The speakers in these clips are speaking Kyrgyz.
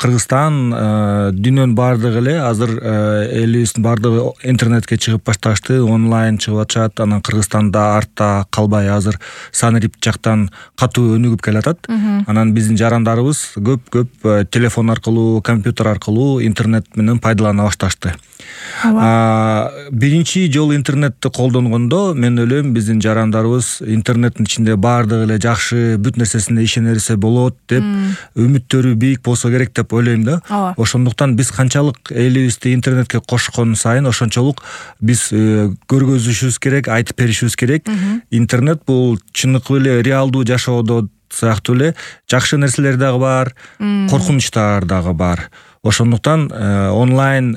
Кыргызстан дүйнөнүн баардыгы эле азыр элибиздин баардыгы интернетке чыгып башташты, онлайн чыгып атышат. Анан Кыргызстанда артта калбай азыр Санарип жактан катуу өнүгүп келатат. Анан биздин жарандарыбыз көп телефон аркылуу, компьютер аркылуу интернет менен пайдалана башташты. Биринчи жолу интернетти колдонгондо мен ойлойм биздин жарандарыбыз интернеттин ичинде баардыгы эле жакшы, бүт нерсесине ишенерсе болот деп үмүттөрү бийик болсо керек деп ойлойм да. Ошондуктан биз канчалык элибизди интернетке кошкон сайын ошончолук биз көргөзүшүбүз керек, айтып беришибиз керек. Интернет бул чыныгы эле реалдуу жашоодо сыяктуу эле жакшы нерселер дагы бар, коркунучтар дагы бар. Ошондуктан онлайн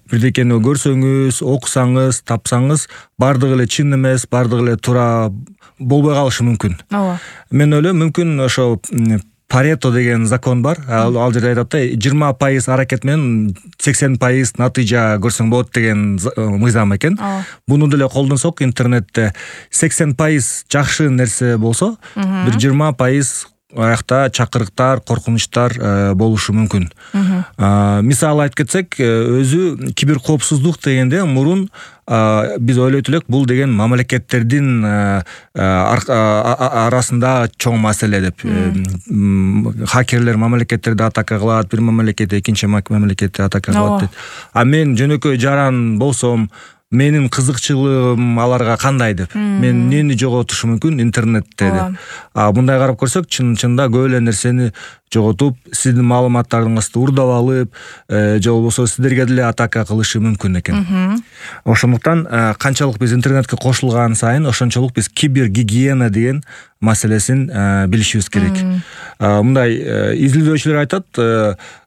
бирдекени көрсөңүз, окусаңыз, тапсаңыз, баардыгы эле чын эмес, баардыгы эле туура болбой калышы мүмкүн. Мен ойлойм, мүмкүн ошо Парето деген закон бар. Ал жерде айтат да, 20% аракет менен 80% натыйжа көрсөң болот деген мыйзам экен. Буну деле колдонсок интернетте 80% жакшы нерсе болсо, бир 20% аякта чакырыктар, коркунучтар болушу мүмкүн. Мисалы айтып кетсек, өзү киберкоопсуздук дегенде мурун биз ойлойт элек, бул деген мамлекеттердин арасында чоң маселе деп. Хакерлер мамлекеттерди атака кылат, бир мамлекет экинчи мамлекетти атака кылат дейт. А мен жөнөкөй жаран болсом, менин кызыкчылыгым аларга кандай деп. Мен эмнени жоготушум мүмкүн интернетте деп. Мындай карап көрсөк, чынында көп эле нерсени жоготуп, сиздин маалыматтарыңызды урдап алып, же болбосо сиздерге деле атака кылышы мүмкүн экен. Ошондуктан канчалык биз интернетке кошулган сайын, ошончолук биз кибергигиена деген маселесин билишибиз керек. Мындай изилдөөчүлөр айтат,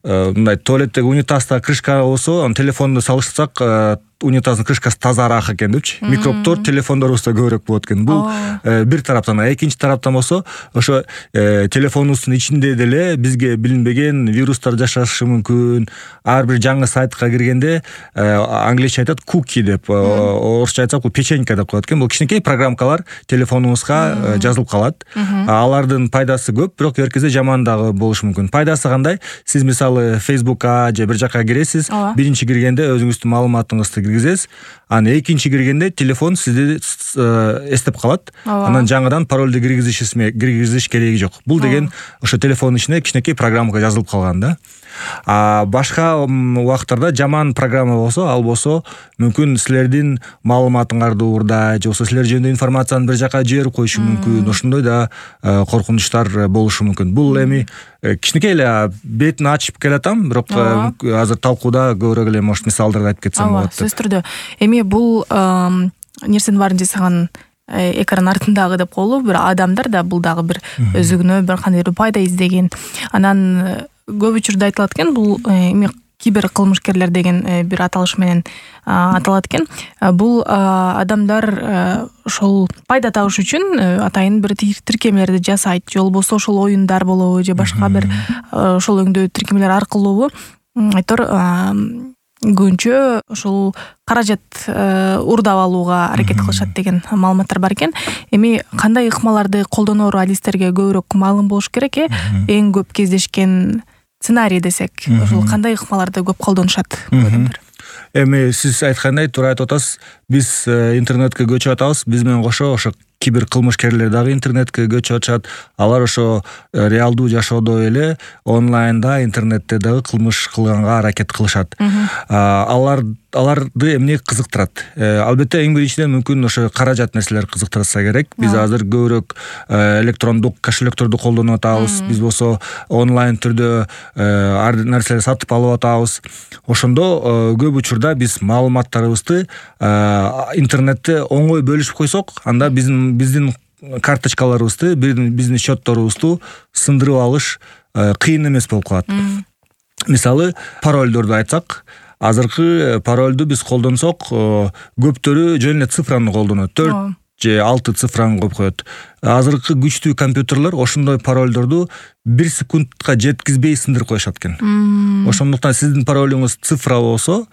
мындай туалеттеги унитазда крышка болсо, телефонду салыштырсак, унитаздын крышкасы тазараак экен депчи. Микробдор телефондорубузда көбүрөөк болот экен. Бул бир тараптан, экинчи тараптан болсо, ошо телефонубуздун ичинде деле бизге билинбеген вирустар жашашы мүмкүн. Ар бир жаңы сайтка киргенде англисче айтат куки деп, орусча айтсак бул печенька деп коет экен. Бул кичинекей программалар телефонуңузга жазылып калат. Алардын пайдасы көп, бирок бир кезде жаман дагы болушу мүмкүн. Пайдасы кандай? Сиз мисалы Facebook'ка же бир жакка киресиз, биринчи киргенде өзүңүздүн маалыматыңызды киргизесиз, анан экинчи киргенде телефон сизди эстеп калат. Анан жаңыдан паролду киргизиш кереги жок. Бул деген ошо телефондун ичине кичинекей программага жазылып калган да. Башка убакыттарда жаман программа болсо, ал болсо мүмкүн силердин маалыматыңарды уурдай, же болбосо силер жөнүндө информацияны бир жакка жиберип коюшу мүмкүн. Ошондой да коркунучтар болушу мүмкүн. Бул эми кичинекей эле бетин ачып келатам, бирок азыр талкууда көбүрөөк эле может мисалдарды айтып кетсем болот деп. Сөз түрдө. Эми бул нерсенин баарын жасаган экран артындагы деп коелу, бир адамдар да бул дагы бир өзүнө бир кандай бир пайда издеген. Анан көп учурда айтылат экен, бул эми кибер кылмышкерлер деген бир аталыш менен аталат экен. Бул адамдар ошол пайда табыш үчүн атайын бир тиркемелерди жасайт, же болбосо ошол оюндар болобу, же башка бир ошол өңдүү тиркемелер аркылуу айтор көбүнчө ошол каражат урдап алууга аракет кылышат деген маалыматтар бар экен. Эми кандай ыкмаларды колдоноор адистерге көбүрөөк маалым болуш керек эң көп кездешкен сценарий десек, ошол кандай ыкмаларды көп колдонушат адамдар? Эми сиз айткандай туура айтып атасыз. Биз интернетке көчүп атабыз. Биз менен кошо ошо кибер кылмышкерлер дагы интернетке көчүп атышат. Алар ошо реалдуу жашоодо эле онлайнда, интернетте дагы кылмыш кылганга аракет кылышат. Аларды эмне кызыктырат? Албетте эң биринчиден мүмкүн ошо каражат нерселер кызыктырса керек. Биз азыр көбүрөөк электрондук кошелекторду колдонуп атабыз. Биз болсо онлайн түрдө ар нерселерди сатып алып атабыз. Ошондо көп учурда биз маалыматтарыбызды интернетте оңой бөлүшүп койсок, анда биздин карточкаларыбызды, биздин счетторубузду сындырып алыш кыйын эмес болуп калат. Мисалы, паролдорду айтсак, азыркы паролду биз колдонсок, көптөрү жөн эле цифраны колдонот. 4 же 6 цифраны коюп коет. Азыркы күчтүү компьютерлер ошондой паролдорду 1 секундка жеткизбей сындырып коюшат экен. Ошондуктан сиздин паролуңуз цифра болсо,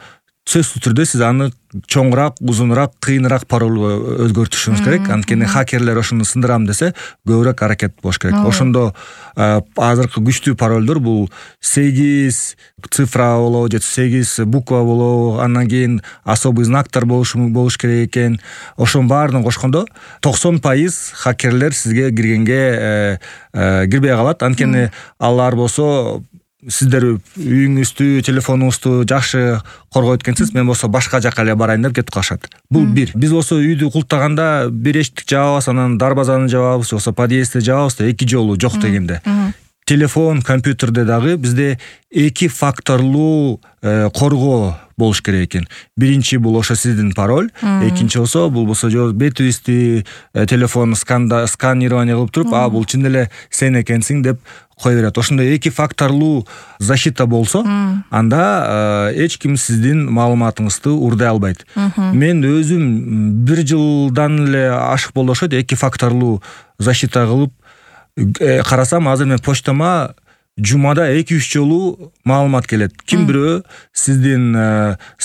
сөзсүз түрдө сиз аны чоңураак, узунураак, кыйыныраак паролго өзгөртүшүңүз керек. Анткени хакерлер ошону сындырам десе көбүрөөк аракет болуш керек. Ошондо азыркы күчтүү паролдор бул 8 цифра болобу же 8 буква болобу, андан кийин особый знактар болуш керек экен. Ошонун баарын кошкондо 90% хакерлер сизге киргенге кирбей калат. Анткени алар болсо сиздер үйүңүздү, телефонуңузду жакшы коргойт экенсиз, мен болсо башка жака эле барайын деп кетип калышат. Бул бир. Биз болсо үйдү култаганда бир эшиктик жабабыз, анан дарбазаны жабабыз, же болсо подъездди жабабыз да, эки жолу жок дегенде. Телефон, компьютерде дагы бизде 2 факторлуу коргоо болуш керек экен. Биринчи бул ошо сиздин пароль, экинчи болсо бул болсо бетүбүздү телефон сканирование кылып туруп, бул чын эле сен экенсиң деп кое берет. Ошондой 2 факторлуу защита болсо, анда эч ким сиздин маалыматыңызды урдай албайт. Мен өзүм 1 жылдан эле ашык болду окшойт 2 факторлуу защита кылып карасам, азыр мен почтама жумада 2-3 жолу маалымат келет. Ким бирөө сиздин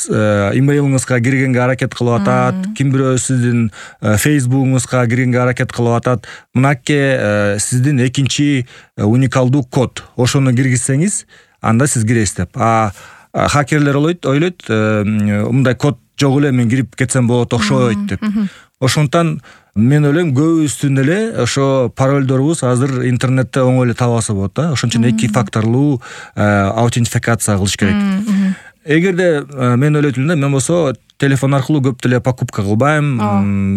имейлиңизга киргенге аракет кылып атат, ким бирөө сиздин фейсбугуңузга киргенге аракет кылып атат. Мынакей сиздин экинчи уникалдуу код. Ошону киргизсеңиз, анда сиз киресиз деп. Хакерлер ойлойт, мындай код жок эле, мен кирип кетсем болот окшойт деп. Ошондон мен ойлойм, көбүбүздүн эле ошо паролдорубуз азыр интернетте оңой эле табылса болот да. Ошон үчүн 2 факторлуу аутентификация кылыш керек. Эгерде мен ойлойт элем да, мен болсо телефон аркылуу көп деле покупка кылбайм,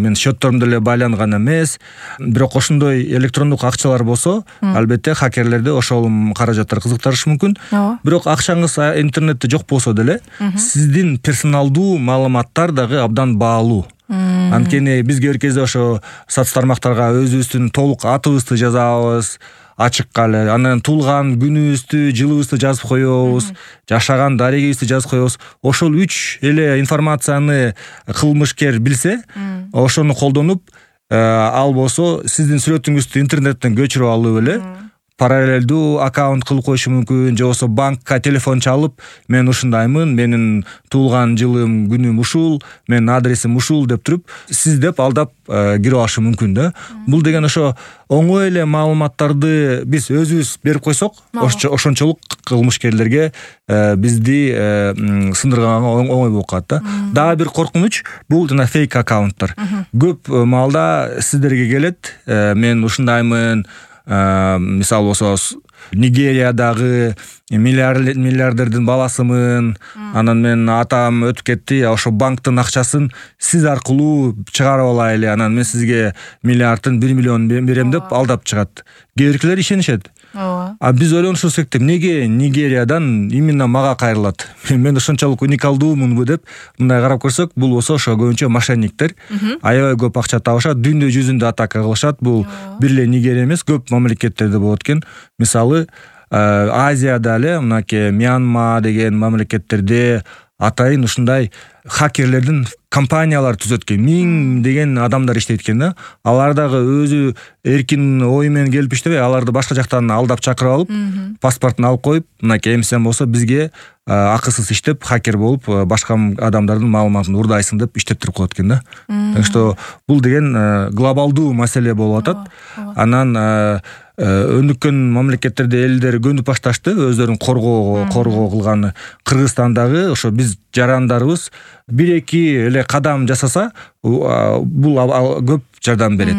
мен счетторум деле байланган эмес. Бирок ошондой электрондук акчалар болсо, албетте хакерлерди ошол каражаттар кызыктырышы мүмкүн. Бирок акчаңыз интернетте жок болсо деле, сиздин персоналдуу маалыматтар дагы абдан баалуу. Анткени биз кээ бир кезде ошо соц тармактарга өзүбүздүн толук атыбызды жазабыз, ачыкка эле, анан туулган күнүбүздү, жылыбызды жазып коебуз, жашаган дарегибизди жазып коебуз. Ошол 3 эле информацияны кылмышкер билсе, ошону колдонуп, ал болсо сиздин сүрөтүңүздү интернеттен көчүрүп алып эле параллелдүү аккаунт кылып коюшу мүмкүн, же болсо банкка телефон чалып, мен ушундаймын, менин туулган жылым, күнүм ушул, менин адресим ушул деп туруп, сиз деп алдап кирип алышы мүмкүн да. Бул деген ошо оңой эле маалыматтарды биз өзүбүз берип койсок, ошончолук кылмышкерлерге бизди сындырганга оңой болуп калат да. Дагы бир коркунуч бул жана фейк аккаунттар. Көп маалда сиздерге келет, мен ушундаймын, мисалы болсо Нигериядагы миллиардердин баласымын, анан мен атам өтүп кетти, ошо банктын акчасын сиз аркылуу чыгарып алайлы, анан мен сизге миллиардтын 1 миллион берем деп алдап чыгат. Кээ биркилер ишенишет. Биз ойлонушубуз керек деп, неге Нигериядан именно мага кайрылат? Мен ошончолук уникалдуумунбу деп мындай карап көрсөк, бул болсо ошо көбүнчө мошенниктер. Аябай көп акча табышат, дүйнө жүзүндө атака кылышат. Бул бир эле Нигерия эмес, көп мамлекеттерде болот экен. Мисалы, Азияда эле мынакей Мьянма деген мамлекеттерде атайын ушундай хакерлердин компаниялар түзөт экен. 1000 деген адамдар иштейт экен да. Алар дагы өзү эркин ой менен келип иштебей, аларды башка жактан алдап чакырып алып, паспортун алып коюп, мынакей эмсен болсо бизге акысыз иштеп, хакер болуп, башка адамдардын маалыматын урдайсың деп иштеттирип коет экен да. Так что бул деген глобалдуу маселе болуп атат. Анан өнүккөн мамлекеттерде элдер көнүп башташты, өздөрүн коргоо кылган. Кыргызстандагы ошо биз жарандарыбыз 1-2 эле кадам жасаса, бул көп жардам берет.